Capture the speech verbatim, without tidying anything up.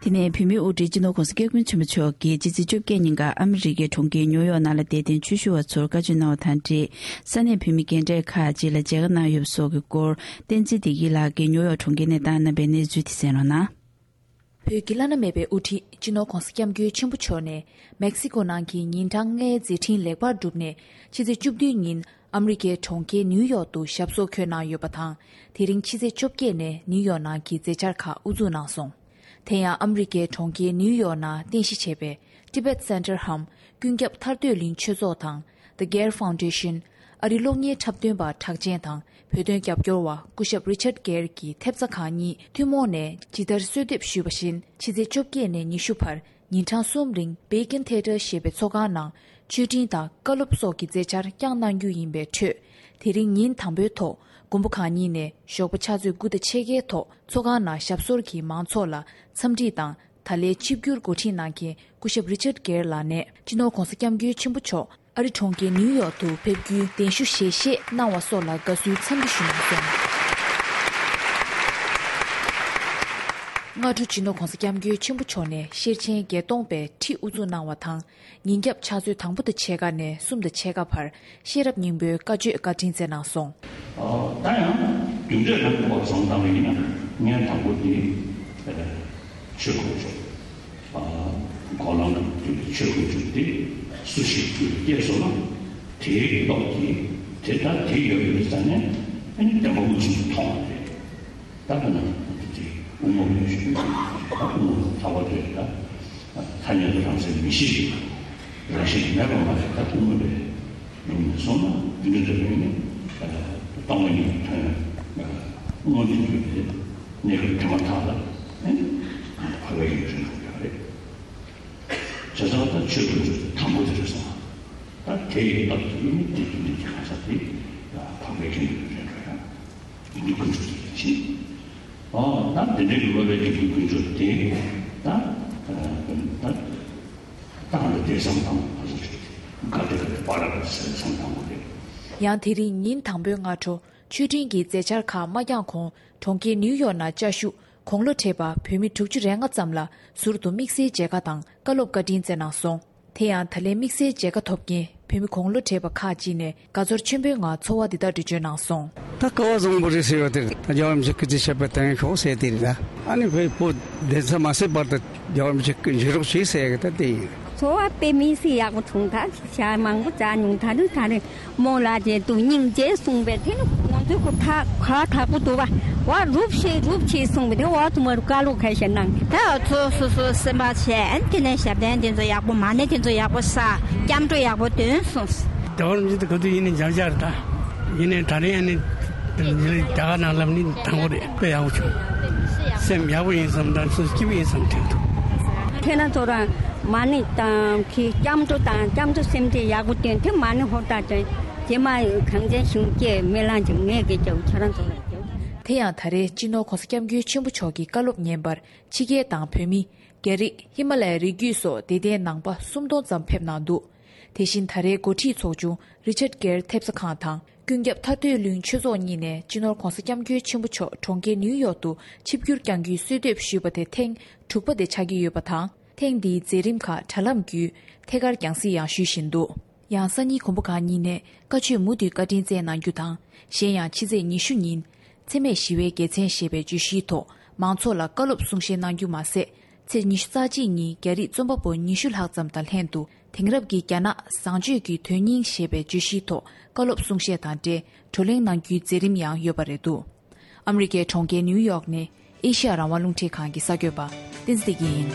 དེ་ནས་བོད་མིའི་དབུ་ཁྲིད་སྤྱི་ནོར་༧གོང་ས་༧སྐྱབས་མགོན་ཆེན་པོ་མཆོག་གིས་ཕྱི་ཚེས་བཅོ་བརྒྱད་ཉིན་ཀ་ཨ་མི་རི་ཀའི་གྲོང་ཁྱེར་ནིའུ་ཡོག་ནང་ལ་བསྡད་དོན་ཆོས་ཞུ་བ་ཚོར་བཀའ་ཆོས་གནང་བ་དང་འབྲེལ། ས་གནས་བོད་མི་རྒན་གྲས་ཁག་ཅིག་ལ་མཇལ་ཁ་གནང་ཡོད་པ་སོགས་ཀྱི་སྐོར། བསྟན་འཛིན་བདེ་སྐྱིད་ལགས་ཀྱིས་ནིའུ་ཡོག་གྲོང་ཁྱེར་ནས་བཏང་གནང་བའི་གནས་ཚུལ་དེ་གསན་རོགས་གནང་། བོད་ཀྱི་བླ་ན་མེད་པའི་དབུ་ཁྲིད་སྤྱི་ནོར་༧གོང་ས་༧སྐྱབས་མགོན་ཆེན་པོ་མཆོག་ནས་མེག་སི་ཀོ་ནང་གི་ཉིན་གྲངས་ལྔའི་མཛད་འཕྲིན་ལེགས་པར་གྲུབ་ནས། ཕྱི་ཚེས་བཅུ་བདུན་ཉིན་ཨ་མི་རི་ཀའི་གྲོང་ཁྱེར་ནིའུ་ཡོག་ཏུ་ཞབས་སོར་འཁོད་གནང་ཡོད་པ་དང་། དེ་རིང་ཕྱི་ཚེས་བཅོ་བརྒྱད་ནས་ནིའུ་ཡོག་ནང་གི་མཛད་འཆར་ཁག་དབུ་འཛུགས་གནང་སོང་། དེ་ཡང་ཨ་མི་རི་ཀའི་གྲོང་ཁྱེར་ནིའུ་ཡོག་ནང་རྟེན་གཞི་བྱས་པའི་Tibet Center འམ་ཀུན་ཁྱབ་ཐར་འདོད་གླིང་ཆོས་ཚོགས་དང་། The Gare Foundation། ཨ་རིའི་གློག་བརྙན་འཁྲབ་སྟོན་པ་གྲགས་ཅན་དང་བོད་དོན་རྒྱབ་སྐྱོར་བ་སྐུ་ཞབས་Richard Gere གྱི་ཐེབས་རྩ་ཁག་གཉིས་ཐུན་མོང་ནས་ཇི་ལྟར་གསོལ་འདེབས་ཞུས་པ་བཞིན། ཕྱི་ཚེས་བཅོ་བརྒྱད་ནས་ཉི་ཤུ་བར་ཉིན་གྲངས་གསུམ་རིང་Beacon Theatre ཞེས་པའི་ཚོགས་ཁང་ནང་ཆོས་འབྲེལ་དང་བཀའ་སློབ་སོགས་ཀྱི་མཛད་འཆར་བསྐྱངས་གནང་རྒྱུ་ཡིན་པའི་ཁྲོད། དེ་རིང་ཉིན་དང་པོའི་ཐོག་མགོན་པོ་གང་ཉིད་ནས་ཞོགས་པ་ཕྱག་ཚོད་དགུ་དང་ཕྱེད་ཀའི་ཐོག་ཚོགས་ཁང་ནང་ཞབས་སོར་གྱིས་མང་ཚོགས་ལ་འཚམས་འདྲི་དང་། ད་ལན་ཆིབས་བསྒྱུར་འགོ་ཁྲིད་གནང་མཁན་སྐུ་ཞབས་Richard Gere ལགས་ནས་སྤྱི་ནོར་༧གོང་ས་༧སྐྱབས་མགོན་ཆེན་པོ་མཆོག་ཨ་རི་གྲོང་ཁྱེར་ནིའུ་ཡོག་ཏུ་ཕེབས་རྒྱུའི་གདན་ཞུ་ཞལ་བཞེས་གནང་བ་སོགས་ལ་དགའ་བསུའི་འཚམས་འདྲི་ཞུ་གནང་སོང་། སྔ་དྲོ་སྤྱི་ནོར་༧གོང་ས་༧སྐྱབས་མགོན་ཆེན་པོ་མཆོག་ནས་ཤེར་ཕྱིན་བརྒྱད་སྟོང་པའི་ཁྲིད་དབུ་འཛུགས་གནང་བ་དང་། ཉིན་རྒྱབ་ཕྱག་ཚོད་དང་པོ་དང་ཕྱེད་ཀ་ནས་གསུམ་དང་ཕྱེད་ཀ་བར་ཤེས་རབ་སྙིང་པོའི་བཀའ་ཆོས་བཀའ་དྲིན་སྩལ་གནང་སོང་། ད་ཡང་རྒྱུ་འབྲས་ལ་དམིགས་པ་བཟང་དང་ཡིན་ན་ངས་དང་པོ་དེ་ཆོས་དཀོན་མཆོག་གོ་ལ་ན་དེ་ཆོས་དཀོན་མཆོག་དེ་སུ་ཞིག་དུ་སྐྱེས་སོང་ན་དེའི་ལོག་གིས་དེ་ལྟར་དེ་ཡོད་པའི་རྩ་ནས་ཨ་ནི་བདེན་པ་མངོན་སུམ་དུ་མཐོང་བ་རེད། ད་ལྟ་ན་དེ་དབུ་མ་བའི་ཞུ་ད་དབུ་མ་ལྷག་པར་དུ་ད་ཐ་སྙད་དུ་རང་སེམས་མི་ཤེས་རང་བཞིན་མེད་པ་མ་རེད། ད་དབུ་མ་བའི་ལུང་ནས་སོང་ན་དེ་འདྲ་འདྲ་བས་ནི་སྟོང་པ་ཉིད་ཀྱི་དོན་མངོན་དུ་གྱུར་པའི་གནས་སྐབས་དེ་མ་ཐག་ལ་ནི་འཕགས་པའི་ཡུལ་དུ་འགྲོ་ཡག་རེད། བྱས་ཙང་ད་ཆོས་དཀོན་མཆོག་དེ་དང་པོ་དེ་རེད་སོང་། ད་དེ་ཡི་སྟབས་ཀྱིས་ནི་དེ་དུས་འདི་གི་གང་ཟག་དེ་འཕགས་པའི་ཡུལ་དུ་འགྲོ་ཡག་ཡིན་དུས་དཀོན་མཆོག་དེ་ཕྱིན། ཨོ་ད་འདི་འདྲའི་གི་སློབ་པའི་དགེ་འདུན་དཀོན་མཆོག་དེ་ད་ད་ད་ད་ང་ཚོ་དེ་བསམ་དང་ང་ཚོ་དགའ་བདེ་དགའ་བདེ་བར་ལ་ཟེར་བསམ་དང་པོ་རེད། ཡང་དེ་རིང་ཉིན་དང་པོའི་སྔ་དྲོ་ཆོས་འབྲེལ་གྱི་མཛད་འཆར་ཁག་མ་བསྐྱངས་གོང་གྲོང་ཁྱེར་ནིའུ་ཡོག་ནང་བཅའ་བཞུགས་དགུང་ལོ་བགྲེས་པ་བོད་མི་དྲུག་ཅུ་རེ་ལྔ་ཙམ་ལ་ཟུར་དུ་དམིགས་བསལ་མཇལ་ཁ་དང་བཀའ་སློབ་བཀའ་དྲིན་སྩལ་གནང་སོང་། དེ་ཡང་ད་ལན་དམིགས་བསལ་མཇལ་ཁ་ཐོབ་མཁན་བོད་མི་དགུང་ལོ་བགྲེས་པ་ཁག་ཅིག་ནས་དགའ་ཚོར་ཆེན་པོའི་ངང་ཚོར་བ་འདི་ལྟར་འགྲེལ་བརྗོད་གནང་སོང་། ད་སྐལ་བ་བཟང་པོ་རེད་ཟེར་བ་དེ་རེད། ད་རྒྱལ་བ་རིན་པོ་ཆེ་སྐུ་ཚེ་ཞབས་པད་བརྟན་ཤོག་ཟེར་དེ་རེད། ད་ཨ་ནི་བོད་པོ་བདེ་མཚམས་མ་སད་བར་དུ་རྒྱལ་བ་རིན་པོ་ཆེ་སྐུ་མཇལ་རོགས་བྱེད་ཟེར་ཡ་གི་ད་དེ་ཡིན། ཚོར་བ་དཔེ་མི་སྲིད་ཡག་པོ་བྱུང་། ད་ཞག་མང་པོ་བཅར་མྱོང་། ད་རེས་ད་རེས་རྨོ་ལགས་ཀྱིས་དུ་སྙིང་རྗེ་གསུངས་པས་དེ་ནི་ང་ཚོའི་ཁོ་ཐག་ཁ་ཐག་པོ་འདུག་བ། བ་རུབ་ཤེས་རུབ་ཆེ་གསུངས་པས་དེ་བ་དུ་མ་རུ་བཀའ་སློབ་ཁ་ཤས་གནང་། ད་ཚོ་སོ་སོ་སེམས་པ་བྱས་དེ་ནས་ཞབས་བརྟན་དེ་ཚོ་ཡག་པོ་མ་ཎི་དེ་ཚོ་ཡག་པོ་ས་སྐྱབས་འགྲོ་ཡག་པོ་འདོན་གསུངས། རྒྱལ་བ་རིན་པོ་ཆེ་དེ་ག་དུས་ཡིན་ནས་མཇལ་མཇལ་རེད། ད་ཡིན་ནས་ད་རེས་ཡང་ནས་རྒྱ་གར་ནང་ལབ་ནི་དང་པོ་རེད། དཔེ་ཡག་པོ་བྱུང་། སེམས་ཡག་པོ་ཡིན་བསམ་དང་སོ་སྐྱིད་པོ་ཡིན་བསམ་དྲན་འདུག་ཁྱེད་རང་ཚོ་རང་མ་ཎི་དང་གི་སྐྱབས་འགྲོ་དང་སྐྱབས་འགྲོ་སེམས་ཁྲལ་ཡག་པོ་བཏོན་ཏེ་མ་ཎི་ཧོར་ཐག་བཏོན། རྗེས་མ་གངས་ཅན་གཞུང་སྐྱེས་སྨོན་ལམ་གྱི་ངས་དགེ་རྒྱབ་ཁྱེད་རང་ཚོ་ལ་རྒྱབ། དེ་ཡང་ད་རེས་སྤྱི་ནོར་༧གོང་ས་༧སྐྱབས་མགོན་ཆེན་པོ་མཆོག་གི་བཀའ་སློབ་ཉན་པར་ཕྱི་རྒྱལ་དང་བོད་མི། རྒྱ་རིགས། ཧི་མ་ལ་ཡའི་རི་རྒྱུད་སོགས་དད་ལྡན་ནང་པ་སུམ་སྟོང་ཙམ་ཕེབས་གནང་འདུག་དེ་བཞིན་ད་རེས་འགོ་ཁྲིད་ཚོགས་ཆུང་Richard Gere ཐེབས་རྩ་ཁང་དང་ཀུན་ཁྱབ་ཐར་འདོད་གླིང་ཆོས་ཚོགས་གཉིས་ནས་སྤྱི་ནོར་༧གོང་ས་༧སྐྱབས་མགོན་ཆེན་པོ་མཆོག་གྲོང་ཁྱེར་ནིའུ་ཡོག་ཏུ་ཆིབས་བསྒྱུར་བསྐྱང་རྒྱུའི་གསོལ་འདེབས་ཞུས་པ་དེ་ཐེངས་དྲུག་པ་དེ་ཆགས་ཀྱི་ཡོད་པ་དང་། ཐེངས་འདིའི་མཛད་རིམ་ཁག་དྲ་ལམ་བརྒྱུད་ཐད་ཀར་རྒྱང་སྲིང་ཡང་ཞུས་བཞིན་འདུག་ཡང་སང་ཉིན་མགོན་པོ་གང་ཉིད་ནས་བཀའ་ཆོས་མུ་མཐུད་བཀའ་དྲིན་སྩལ་གནང་རྒྱུ་དང་། གཞན་ཡང་ཕྱི་ཚེས་ཉི་ཤུ་ཉིན། འཚེ་མེད་ཞི་བའི་རྒྱལ་མཚན་ཞེས་པའི་བརྗོད་གཞིའི་ཐོག་མང་ཚོགས་ལ་བཀའ་སློབ་གསུང་བཤད་གནང་རྒྱུ་མ་ཟད། ཚེས་ཉི་ཤུ་རྩ་གཅིག་ཉིན་རྒྱ་རིགས་རྩོམ་པ་པོ་ཉི་ཤུ་ལྷག་ཙམ་དང་ལྷན་དུ་དེང་རབས་ཀྱི་རྒྱ་ནག་བཟང་སྤྱོད་ཀྱི་དོན་སྙིང་ཞེས་པའི་བརྗོད་གཞིའི་ཐོག་བཀའ་སློབ་གསུང་བཤད་དང་འབྲེལ་བགྲོ་གླེང་གནང་རྒྱུའི་མཛད་རིམ་ཡང་ཡོད་པ་རེད་འདུག་ཨ་མི་རི་ཀའི་གྲོང་ཁྱེར་ནིའུ་ཡོག་ནས་ཨེ་ཤེ་ཡ་རང་དབང་རླུང་འཕྲིན་ཁང་གི་གསར་འགོད་པ་བསྟན་འཛིན་བདེ་སྐྱིད་ཡིན།